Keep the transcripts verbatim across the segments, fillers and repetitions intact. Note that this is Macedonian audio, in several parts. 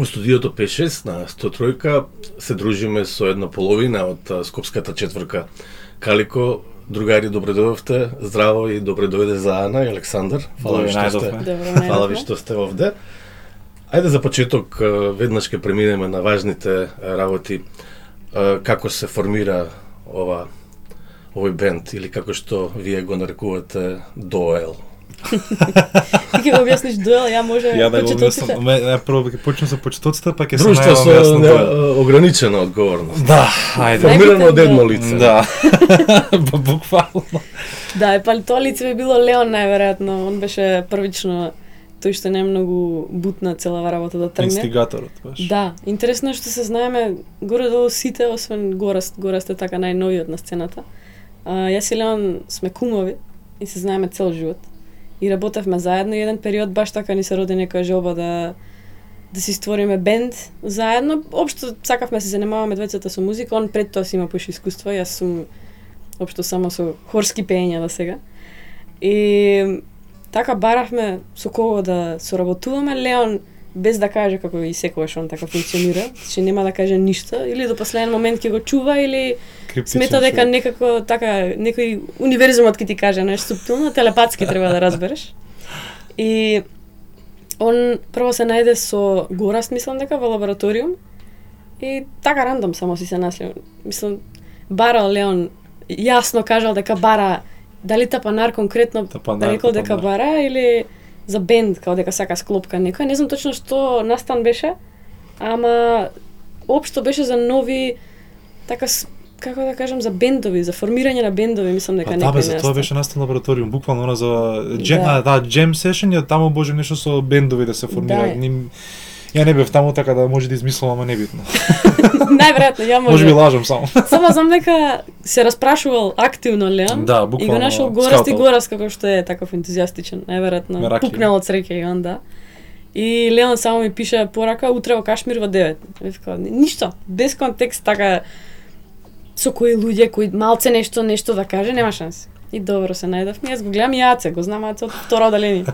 Во студиото пет шест на сто три се дружиме со една половина од скопската четворка Калико. Другари, добре дојдовте. Здраво и добре дојде за Ана и Александар. Фала ви што сте. Фала ви што сте овде. Ајде за почеток веднаш ќе преминеме на важните работи. Како се формира ова овој бенд или како што вие го нарекувате Доел? Ти ќе го објасниш Доел, ја може ја да почетоците? Ја прво ќе почнем со почетоците, па ќе се Друштво најавам со јасно. ограничена одговорност. Да, ајде. Формирано од едно лице. Да. Буквално. Да, е па тоа лице би било Леон најверојатно. Он беше првично тој што не многу бутна целава работа да тргне. Инстигаторот баш. Да, интересно е што се знаеме горе-долу сите, освен Гораст, Гораст е така најновиот на сцената. А, јас и Леон сме кумови и се знаеме цел живот. И работевме заедно и еден период баш така ни се роди некоја желба да да си створиме бенд заедно. Општо сакавме се занимаваме двајцата со музика, он пред тоа си има поише искуство, јас сум општо само со хорски пеења до сега. И така баравме со кого да соработуваме. Леон без да каже како и секогаш он така функционира, че нема да каже ништо или до последен момент ќе го чува или Криптичен смета дека човек. некако така некој универзумот ќе ти каже нешто суптилно, телепатски треба да разбереш. И он прво се најде со Гораст, мислам дека во лабораториум и така рандом само си се наследил. Мислам барал Леон јасно кажал дека бара дали Тапанар конкретно Тапанар, рекол дека Тапанар. бара или за бенд, као дека сака склопка некоја. Не знам точно што настан беше, ама општо беше за нови така с- како да кажам за бендови, за формирање на бендови, мислам дека Па некој да, бе, за тоа настан. беше настан лабораториум, буквално она за джем, Да. да, да, джем сешен, ја таму може нешто со бендови да се формира. Да. Ним... Ја не бев таму така да може да измислам, ама небитно. Најверојатно ја може. Може би лажам само. Само знам дека се распрашувал активно Леон Да, и го буквално, нашол Гораст и скаутал. Гораст како што е таков ентузијастичен, најверојатно Мераки. пукнал од среќа и он да. И Леон само ми пише порака утре во Кашмир во девет. Вика, ништо, без контекст така со кои луѓе кои малце нешто нешто да каже, нема шанси. И добро се најдовме, јас го гледам и Аце, го знам Аце од второ одделение.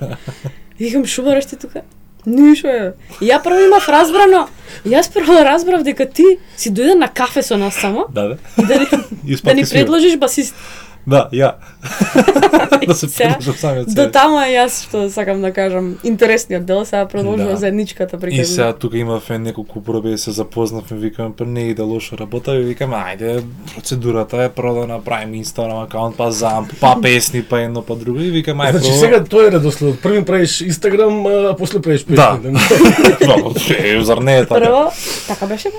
И викам, шо бараш ти тука? Ништо е. И ја прво имав разбрано, јас прво разбрав дека ти си дојде на кафе со нас само, Да, да. и да ни, И да ни спати свирам. предложиш басист. Да, ја. Да се Сега, предложам самиот До себе. таму е јас што сакам да кажам интересниот дел, сега продолжува Да. заедничката И приказна. сега тука имавме неколку проби, се запознавме, викаме, па не иде лошо работа, и викаме, ајде, процедурата е прво да направиме Инстаграм акаунт, па замп, па песни, па едно, па друго, и викаме, ајде, Значи сега тој е редоследот. Први правиш Инстаграм, а после правиш песни. Да. Е, зар не е така? Прво, така беше бе?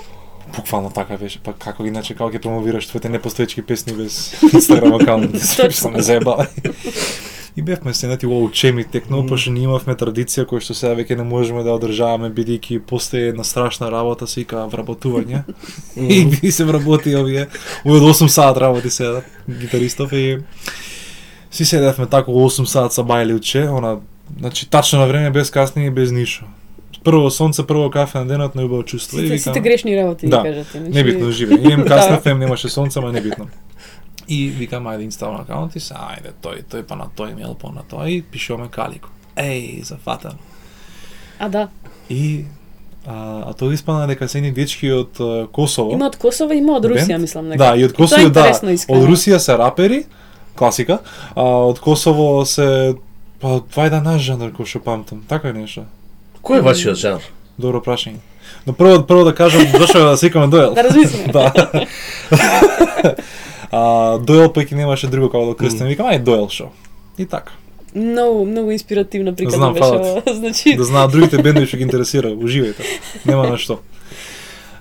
Буквално така беше, па како иначе како ќе промовираш твоите непостоечки песни без Инстаграм акаунт? Што ме заебава. И бевме седнати во учеми текно, пошто ние имавме традиција која што сега веќе не можеме да одржаваме бидејќи постои една страшна работа се вика вработување. И ги се вработи овие овие осум сат работи сега гитаристов и си седевме тако осум сат са бајли уче, она значи тачно на време без касни и без ништо. Прво сонце, прво кафе на денот, најубаво чувство. Сите, И сите викам, грешни работи Да, ги кажате. значи- небитно живе. Идем Да. каснав, немаше сонце, ама небитно. И викам, ајде инсталам акаунт и се, ајде, тој, тој па на тој имейл, па на тој, и пишуваме Калико. Еј, зафатан. А да, И а, а тоа испана дека се едни дечки од а, Косово. има од Косово, има од Русија, бенд. мислам дека. Да, и од И тоа е Косово, да. интересно, искрено. Од Русија се рапери, класика, а од Косово се па тоа е да наш жанр кој што памтам, така е нешто. Кој е вашиот жанр? Добро прашање. Но прво прво да кажам зашто да секаме Доел. Да размислиме. Да. А Доел пак и немаше друго како да крстим. Викам ај Доел шо. И така. Многу, многу инспиративна приказна Знам, беше фала ти. ова. Значи, Да знаат другите бендови што ги интересира, уживајте. Нема на што.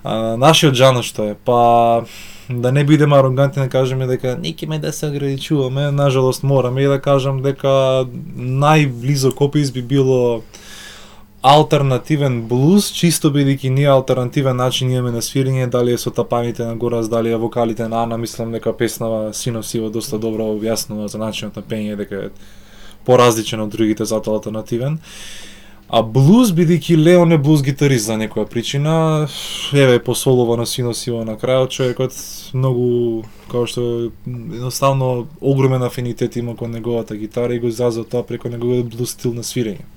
А, нашиот жанр што е, па да не бидеме арогантни да кажеме дека некиме да се ограничуваме, нажалост мораме и да кажам дека најблизо копис би било алтернативен блуз, чисто бидејќи ние алтернативен начин имаме на свирење, дали е со тапаните на Гораст, дали е вокалите на Ана, мислам дека песнава Синов Сиво доста добро објаснува за начинот на пење, дека е поразличен од другите, затоа алтернативен. А блуз, бидејќи Леон е блуз гитарист за некоја причина, еве посолува на Синов Сиво на крајот, човекот многу, како што едноставно огромен афинитет има кон неговата гитара и го изразува тоа преку неговиот блуз стил на свирење.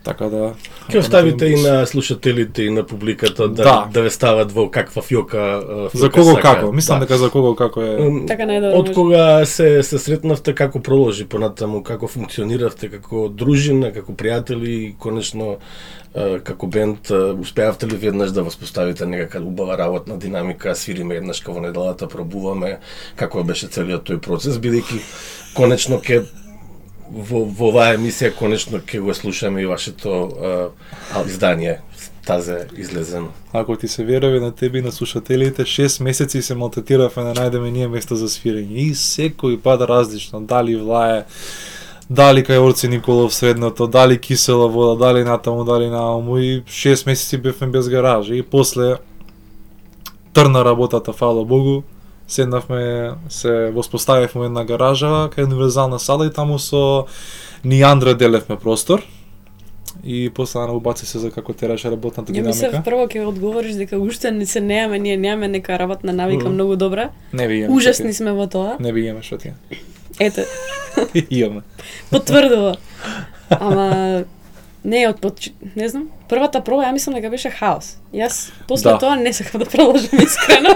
Така да... Ќе оставите и на слушателите и на публиката да, Да. да ве стават во каква фјока, фјока За кого сака. како? Мислам Да. дека за кого како е... М, Така најдобро Од може. кога се се сретнавте, како проложи понатаму, како функциониравте како дружина, како пријатели и конечно е, како бенд, е, успеавте ли веднаш да воспоставите некака убава работна динамика, свириме еднаш во неделата, пробуваме, како беше целиот тој процес, бидејќи конечно ќе во, во оваа емисија конечно ќе го слушаме и вашето е, издание, тазе излезено. Ако ти се верува на тебе и на слушателите, шест месеци се малтретиравме да најдеме ние место за свирење. И секој пат различно, дали влае, дали кај Орци Николов средното, дали кисела вода, дали натаму, дали нааму, и шест месеци бевме без гаража. И после трна работата, фала Богу, седнавме, се воспоставивме една гаража, кај универзална сала и таму со Ниандра делевме простор. И после на убаци се за како тераше работната Ја мислев динамика. прво ќе одговориш дека уште не се неаме, ние немаме нека работна навика Мгм. многу добра. Не ви имаме. Ужасни сме во тоа. Не ви имаме што ти. Ете, Имаме. потврдува. Ама не од под, не знам, првата проба ја мислам дека беше хаос. Јас после Да. тоа не сакав да продолжам искрено.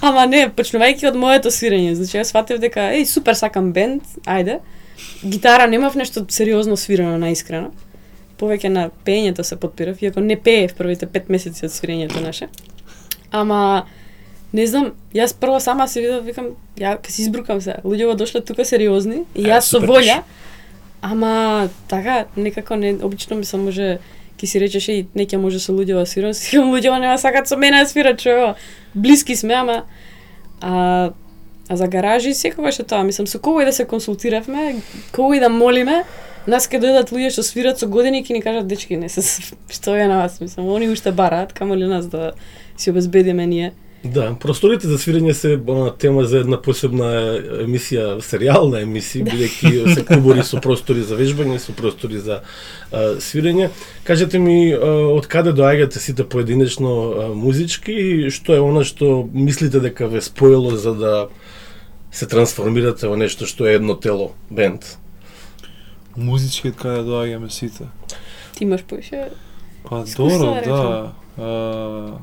Ама не, почнувајќи од моето свирење, значи јас сватив дека еј супер сакам бенд, ајде. Гитара немав нешто сериозно свирено наискрено. Повеќе на пеењето се подпирав, иако не пеев првите пет месеци од свирењето наше. Ама не знам, јас прво сама се видов, викам, ја ќе се избрукам се. Луѓето дошле тука сериозни и Е, јас со супер волја. Ама така некако не обично ми се може ќе си речеш и не ќе може со луѓето да свирам, си луѓето нема сакат со мене да свират, човек. Блиски сме, ама а А за гаражи секогаш е тоа, мислам, со кого и да се консултиравме, кого и да молиме, нас ке дојдат луѓе што свират со години и ќе ни кажат дечки, не се што е на вас, мислам, они уште бараат, камо ли нас да си обезбедиме ние. Да, просторите за свирење се она тема за една посебна емисија, серијална емисија, бидејќи се клубори со простори за вежбање, со простори за а, свирење. Кажете ми, а, од каде доаѓате сите поединечно а, музички и што е она што мислите дека ве споило за да се трансформирате во нешто што е едно тело, бенд? Музички од каде доаѓаме сите. Ти имаш поише Па Искуство, добро, да да. А,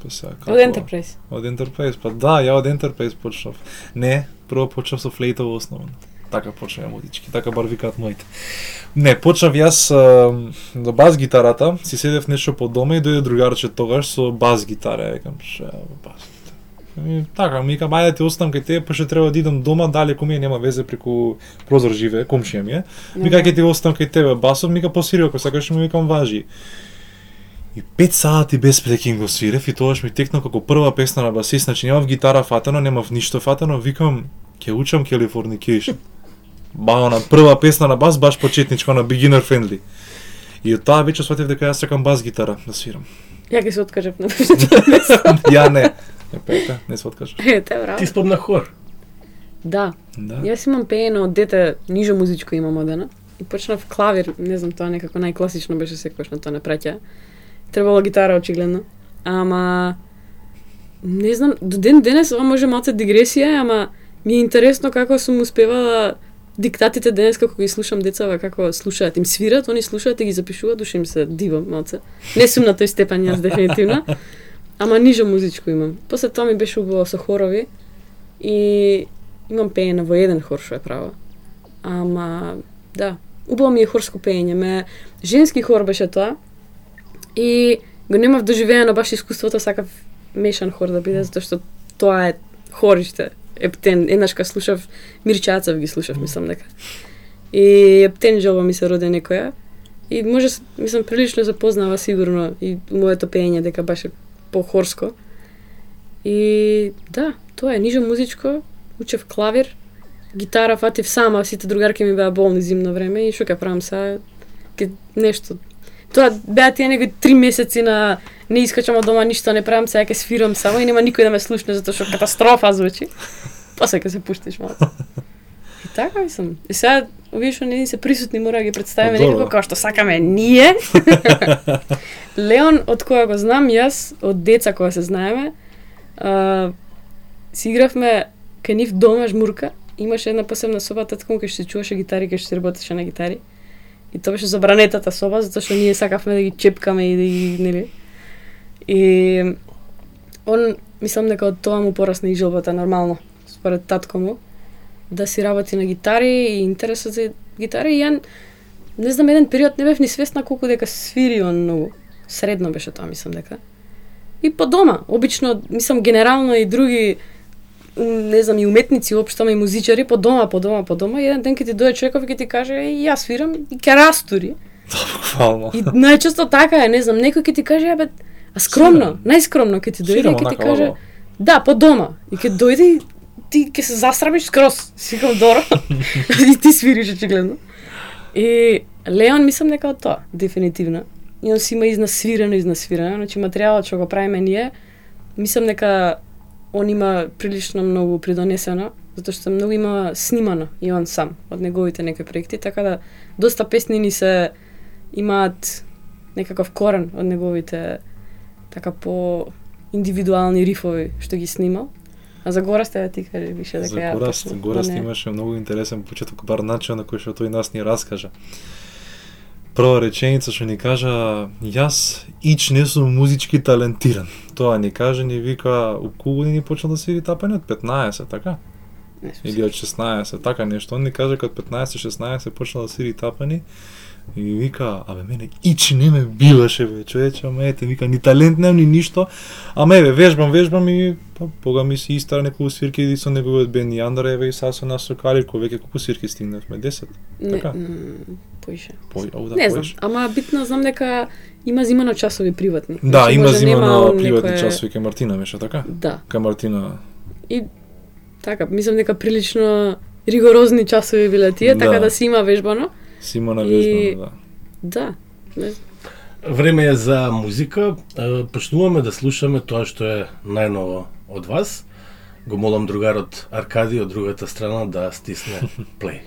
па сега како? од Enterprise. Од Enterprise, па да, ја од Enterprise почнав. Не, прво почнав со флейта во основно. Така почнав музички, така бар викаат моите. Не, почнав јас а, до бас гитарата, си седев нешто по дома и дојде другарче тогаш со бас гитара, викам, ше, бас гитара. И така, ми викам, ајде ти оставам кај тебе, па што треба да идам дома, далеку ми е, нема везе, преку прозор живее, комшија ми е. Мика ќе ти оставам кај тебе басов, мика посвири ако сакаш, ми викам важи. И пет сати без прекин го свирев и тогаш ми текна како прва песна на басист, значи немав гитара фатено, немав ништо фатено, викам ќе учам Californication. Ба на прва песна на бас баш почетничка на beginner friendly. И од таа вечер сватив дека јас сакам бас гитара да свирам. Ја ќе се откажав на првото место. Ја не. Не пека, не се откажаш. Ете, браво. Ти спомна хор. Да, Да. јас имам пеено од дете, нижо музичко имам одена. И почнав клавир, не знам, тоа некако најкласично беше секогаш на тоа не праќа. Требало гитара очигледно. Ама не знам, до ден денес ова може малце дигресија, ама ми е интересно како сум успевала диктатите денес како ги слушам децава како слушаат, им свират, они слушаат и ги запишуваат, душе им се дивам малце. Не сум на тој степен јас дефинитивно. Ама нижо музичко имам. После тоа ми беше убаво со хорови и имам пеење во еден хор што е право. Ама да, убаво ми е хорско пеење, ме женски хор беше тоа. И го немав доживеено баш искуството, сакав мешан хор да биде, затоа што тоа е хориште. Ептен, еднаш ка слушав Мирчацев ги слушав, мислам дека. И Ептен желба ми се роде некоја. И може, мислам, прилично запознава сигурно и моето пеење дека баше по-хорско. И да, тоа е нижо музичко, учев клавир, гитара фатив сама, сите другарки ми беа болни зимно време и што ќе правам сега, ке нешто. Тоа беа тие некои три месеци на не искачам од дома, ништо не правам, сега ќе свирам само и нема никој да ме слушне затоа што катастрофа звучи. После ќе се пуштиш малку. И така мислам. И сега овие што не ни се присутни мора да ги представиме Добро. некако како што сакаме ние. Леон, од која го знам јас, од деца кога се знаеме, а, си игравме кај нив дома жмурка. Имаше една посебна соба, татко му кај што се чуваше гитари, кај што се работеше на гитари. И тоа беше забранетата соба, затоа што ние сакавме да ги чепкаме и да ги, нели. И он, мислам дека од тоа му порасна и желбата нормално, според татко му, да си работи на гитари и интересот за гитари. И ја, не знам, еден период не бев ни свесна колку дека свири он многу. Средно беше тоа, мислам дека. И по дома, обично, мислам, генерално и други, не знам, и уметници, уопшто и музичари, по дома, по дома, по дома, и еден ден ќе ти дојде човеков и ќе ти каже, е, јас свирам, и ќе растури. Буквално. И најчесто така е, не знам, некој ќе ти каже, е, бе, а скромно, најскромно ќе ти дојде и ќе ти каже, да, по дома, и ќе дојде и ти ќе се засрамиш скроз, си викам доро, и ти свириш очигледно. И Леон, мислам дека од тоа, дефинитивно. И он си има изнасвирено, изнасвирено, значи материјалот што го правиме ние, мислам дека он има прилично многу придонесено, затоа што многу има снимано и он сам од неговите некои проекти, така да доста песни ни се имаат некаков корен од неговите така по индивидуални рифови што ги снимал. А за Гораст да ти кажи више дека ја. За Гораст, Гораст имаше многу интересен почеток, бар начин на кој што тој нас ни раскажа. Прва реченица што ни кажа, јас ич не сум музички талентиран. Тоа ни каже, ни вика, у колку години почна да свири тапани, од петнаесет, така? Или од шеснаесет, така нешто. Он ни каже кога од петнаесет шеснаесет почна да свири тапани и вика, абе мене ич не ме биваше бе, човече, ама ете, вика, ни талент немам, ни ништо, ама еве, вежбам, вежбам и па, пога ми си истара неколку свирки и со неговиот бенд Јандра, еве и са со нас со Калико, веќе колку свирки стигнавме, десет, така? Поише. По, о, да, не знам, поише. ама битно знам дека има зимано часови приватни. Да, значи, има зимано приватни некое... часови кај Мартина, беше така? Да. Кај Мартина. И така, мислам дека прилично ригорозни часови биле тие, да. Така да си има вежбано. Си има навежбано, да. Да. Време е за музика. Почнуваме да слушаме тоа што е најново од вас. Го молам другарот Аркади од другата страна да стисне плей.